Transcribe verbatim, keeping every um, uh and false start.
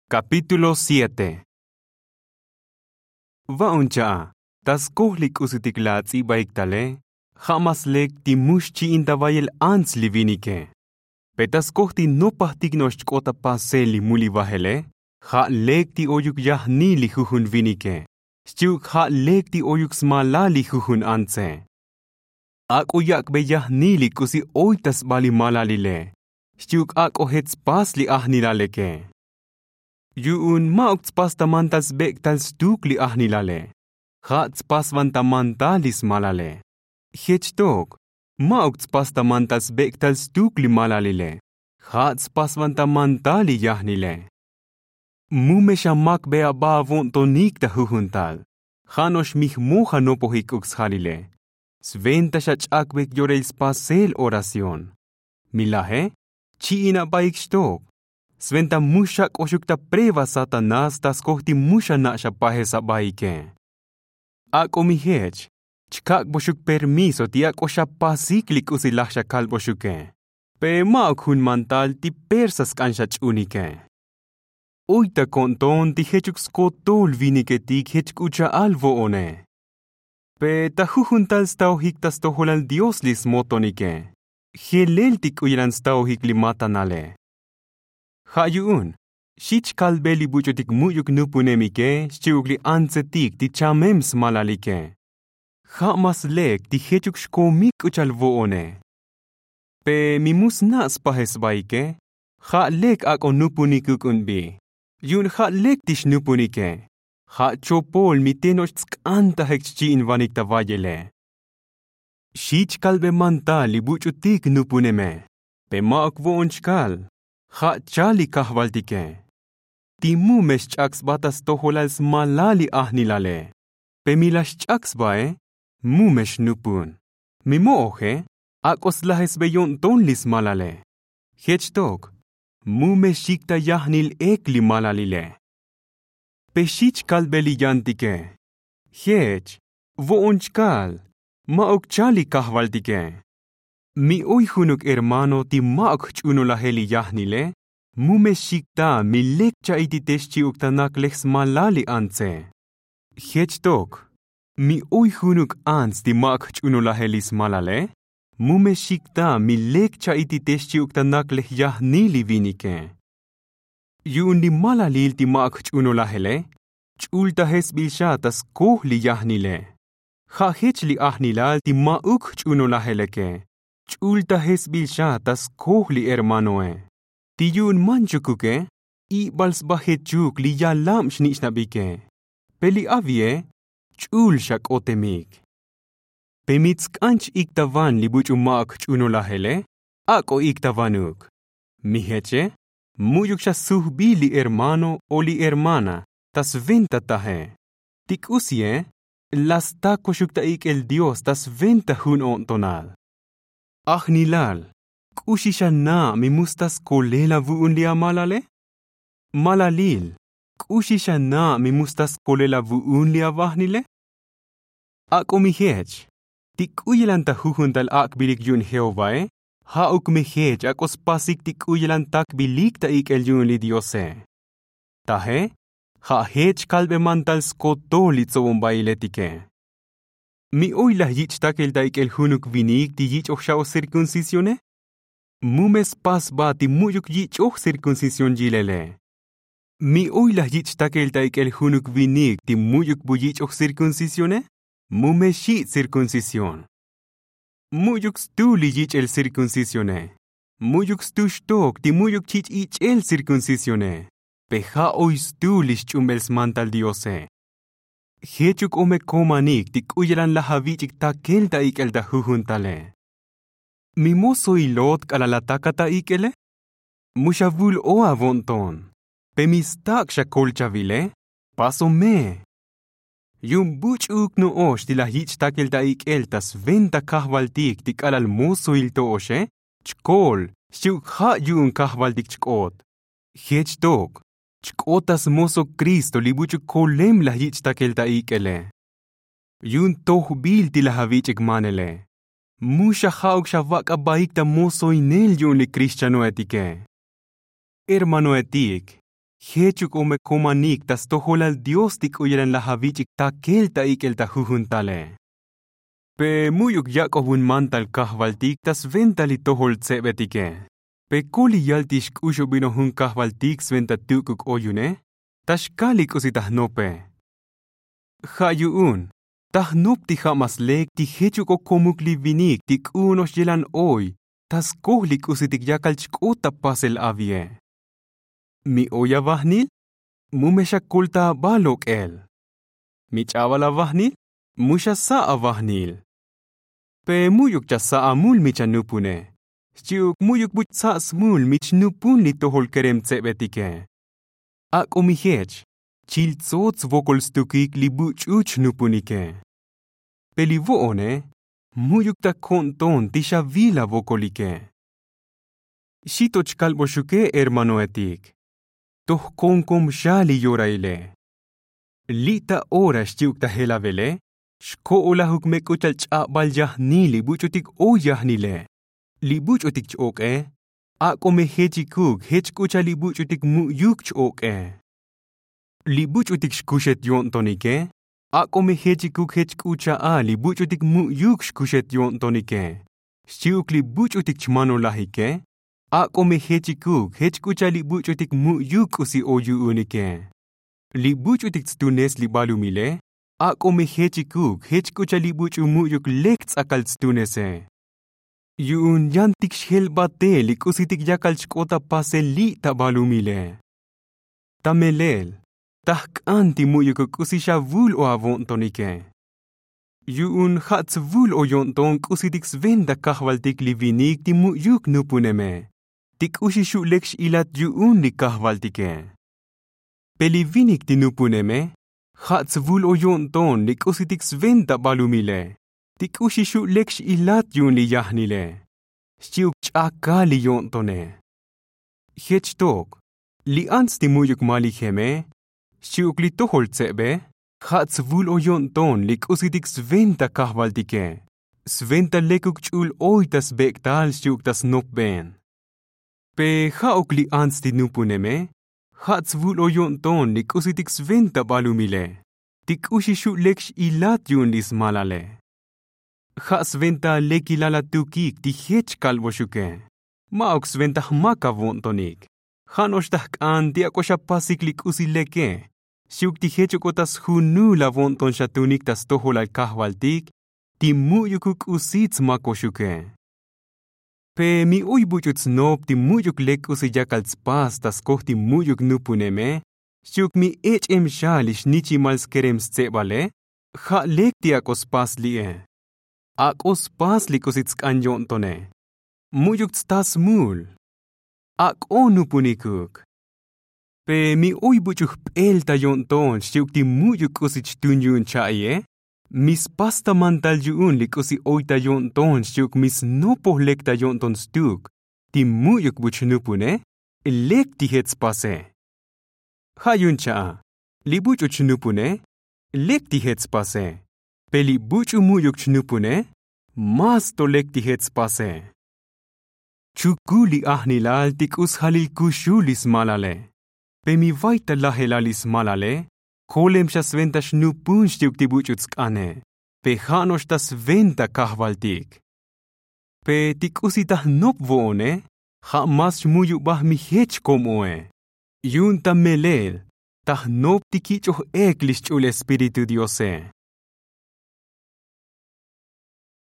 Kapítulo siete. Va'un cha'a ta skoj li k'usitik la ats'ibaik tale, ja' mas lek ti mu xchi'in ta vayel ants li vinike. Pe ta skoj ti nopajtik no'ox chk'ot ta pasel li mu li vajele, ja' lek ti oyuk yajnil li jujun vinike, xchi'uk ja' lek ti oyuk smalal li jujun antse. Ak'o yak'be yajnil li k'usi oy ta sba li malalile, xchi'uk ak'o jech spas li ajnilal leke. Yu'un ma'uk tspas ta mantal sbek'tal stuk li ajnilale, ja' tspas van ta mantal li smalale. Jech tok, ma'uk tspas ta mantal sbek'tal stuk li malalile, ja' tspas van ta mantal li yajnile. Mu me xamakbe aba avo'ntonik ta jujun tal, ja' no'ox mi jmoj anopojik k'uk sjalile. Sventa xach'akbek yorel spasel oración. Mi laje, chi'in abaik xtok, sventa mu xak'oxuk ta prueba satanás ta skoj ti mu xana' xapajes abaike. Ak'o mi jech, chkak'boxuk permiso ti ak'o xapasik li k'usi laj xakalboxuke. Pe ma'uk jun mantal ti persa sk'an xach'unike. Oy ta ko'nton ti jechuk skotol viniketik jech k'u cha'al vo'one. Pe ta jujun tal staojik ta stojolal dios li smotonike, jelel ti k'u yalan staojik li matanale. Ja' yu'un, xich kalbe li buch'utik mu'yuk nupunemike xchi'uk li antsetik ti chamem smalalike. Ja' mas lek ti jechuk xkomik k'u cha'al vo'one. Pe mi mu sna' spajes sbaike, ja' lek ak'o nupunikuk un bi, yu'un ja' lek ti xnupunike. Ja' chopol mi te no'ox tsk'antajek xchi'invanik ta vayele. Xich kalbe mantal li buch'utik nupuneme, pe ma'uk vo'on chkal, ja' chal li kajvaltike. Ti mu me xch'ak sba ta stojolal smalal li ajnilale. Pe mi laj xch'ak sbae, mu me xnupun. Mi mo'oje, ak'o slajesbe yo'nton li smalale. Jech tok, mu me xik ta yajnil ek li malalile. Pe xich kalbe li yantike, jech, vo'on chkal, ma'uk chal li kajvaltike. Mi oy junuk hermano ti ma'uk jch'unolaje li yajnile, mu me xik ta mi lek cha'ititex chi'uk ta naklej smalal li antse. Jech tok, mi oy junuk ants ti ma'uk jch'unolaje li smalale, mu me xik ta mi lek cha'ititex chi'uk ta naklej yajnil li vinike. Yu'un li malalil ti ma'uk jch'unolajele, ch'ultajesbil xa ta skoj li yajnile. Ja' jech li ajnilal ti ma'uk jch'unolajeleke, ch'ultajesbil xa ta skoj li hermanoe. Ti yu'un manchukuke, ibal sba jechuk li yalab xnich'nabike. Pe li avie, ch'ul xak'otemik. Pe mi tsk'an ch-ik ta van li buch'u ma'uk jch'unolajele, ak'o ik ta vanuk. Mi jeche, mu'yuk xa sujbil li hermano o li hermana ta sventa taje. Ti k'usie, la stakoxuk ta ik'el dios ta sventa jun o'ntonal. Ajnilal, k'uxi xana' mi mu sta skolel avu'un li amalale? Malalil, k'uxi xana' mi mu sta skolel avu'un li avajnile? Ak'o mi jech, ti k'u yalan ta jujuntal ak'bilik yu'un jehovae, ja'uk me jech ak'o spasik ti k'u yalan takbilik ta ik'el yu'un li diose. Taje, ja' jech kalbe mantal skotol li tsobonbailetike. Mi oy laj yich' takel ta ik'el junuk vinik ti yich'oj xa o cirkuncisione? Mu me spas sba ti mu'yuk yich'oj cirkuncisión yilele. Mi oy laj yich' takel ta ik'el junuk vinik ti mu'yuk bu yich'oj cirkuncisione? Mu me xi' cirkuncisión. Mu'yuk stu li yich'el cirkuncisione. Mu'yuk stu xtok ti mu'yuk chich' ich'el cirkuncisione. Pe ja' oy stu li xch'umbel smantal diose. Jechuk o me komanik ti k'u yalan laj avich'ik takel ta ik'el ta jujuntale. Mi mozoilot k'alal atakat ta ik'ele? Mu xavul o avo'nton. Pe mi stak' xakolchavile, paso me. Yu'un buch'uuk no'ox ti laj yich' takel ta ik'el ta sventa kajvaltik ti k'alal mozoil to'oxe, chkol xchi'uk ja' yu'un kajvaltik chk'ot. Jech tok, chk'ot ta smozo kristo li buch'u kolem laj yich' takel ta ik'ele. Yu'un tojbil ti laj avich'ik manele, mu xa ja'uk xavak'abaik ta mozoinel yu'un li krixchanoetike. Hermanoetik, Jechuk o me komanik ta stojolal dios ti k'u yalan laj avich'ik takel ta ik'el ta jujun tale. Pe mu'yuk yak'o vun mantal kajvaltik ta sventa li tojol tsebetike. Pe kol li yal ti xk'uxubino jun kajvaltik sventa tuk'uk oyune ta xkal li k'usi ta jnope. Ja' yu'un ta jnop ti ja' mas lek ti jechuk o komuk li vinik ti k'u no'ox yelan oy ta skoj li k'usitik yakal chk'ot ta pasel avie. Mi oy avajnil? Mu me xakolta aba lok'el. Mi ch'abal avajnil? Mu xasa' avajnil. Pe mu'yuk chasa' amul mi chanupune xchi'uk mu'yuk bu chsa' smul mi chnupun li tojol kerem tsebetike. Ak'o mi jech chiltsots vokol stukik li bu ch'u chnupunike. Pe li vo'one mu'yuk ta ko'nton ti xavil avokolike. Xi to chkalboxuke hermanoetik. Toj konkom xa li yoraile. Li' ta ora xchi'uk ta jelavele xko'olajuk me k'u cha'al ch'abal yajnil li buch'utik oy yajnile. Li buch'utik ch-ok'e ak'o me jechikuk jech k'u cha'al li buch'utik mu'yuk ch-ok'e. Li buch'utik xkuxet yo'ntonike ak'o me jechikuk jech k'u cha'al li buch'utik mu'yuk xkuxet yo'ntonike. Xchi'uk li buch'utik chmanolajike ak'o me jechikuk jech k'u cha'al li buch'utik mu'yuk k'usi oy yu'unike. Li buch'utik tstunes li balumile ak'o me jechikuk jech k'u cha'al li buch'u mu'yuk lek ts'akal tstunese. Yu'un yantik xjelbate li k'usitik yakal chk'ot ta pasel li' ta balumile. Ta melel ta jk'an ti mu'yukuk k'usi xavul o avo'ntonike. Yu'un ja' tsvul o yo'nton k'usitik sventa kajvaltik li vinik ti mu'yuk nupuneme ti k'uxi xu' lek x'ilat yu'un li kajvaltike. Pe li vinik ti nupuneme ja' tsvul o yo'nton li k'usitik sventa balumile ti k'uxi xu' lek x'ilat yu'un li yajnile. Xchi'uk ch'akal li yo'ntone. Jech tok li ants ti mu'yuk malijeme xchi'uk li tojol tsebe ja' tsvul o yo'nton li k'usitik sventa kajvaltike. Sventa lekuk ch'ul oy ta sbek'tal xchi'uk ta snopben. Pe ja'uk li ants ti nupuneme ja' tsvul o yo'nton li k'usitik sventa balumile ti k'uxi xu' lek x'ilat yu'un li smalale. Ja' sventa lekilal atukik ti jech kalboxuke. Ma'uk sventa jmak avo'ntonik ja' no'ox ta jk'an ti ak'o xapasik li k'usi leke. Xchi'uk ti jechuk o ta sjunul avo'nton xatunik ta stojolal kajvaltik ti mu'yukuk k'usi tsmakoxuke. Pe mi oy buch'u tsnop ti mu'yuk lek k'usi yakal tspas ta skoj ti mu'yuk nupuneme xchi'uk mi ech'em xa li xnichimal skerem stsebale. Ja' lek ti ak'o spas li'e. Ak'o spas li k'usi tsk'an yo'ntone. Mu'yuk tsta smul. Ak'o nupunikuk. Pe mi oy buch'u jp'el ta yo'nton xchi'uk ti mu'yuk k'usi chtun yu'un cha'ie mi spas ta mantal yu'un li k'usi oy ta yo'nton xchi'uk mi snopoj lek ta yo'nton stuk ti mu'yuk bu chnupune. Lek ti jech spase. Ja' yu'un cha'a li buch'u chnupune lek ti jech spase. Pe li buch'u mu'yuk chnupune más to lek ti jech spase. Chukul li ajnilal ti k'u sjalil kuxul li smalale. Pe mi vay ta lajelal li smalale kolem xa sventa xnupun xchi'uk ti buch'u tsk'ane. Pe ja' no'ox ta sventa kajvaltik. Pe ti k'usi ta jnop vo'one ja' más xmuyubaj mi jech kom oe. Yu'un ta melel ta jnop ti kich'oj ek li xch'ul espíritu diose.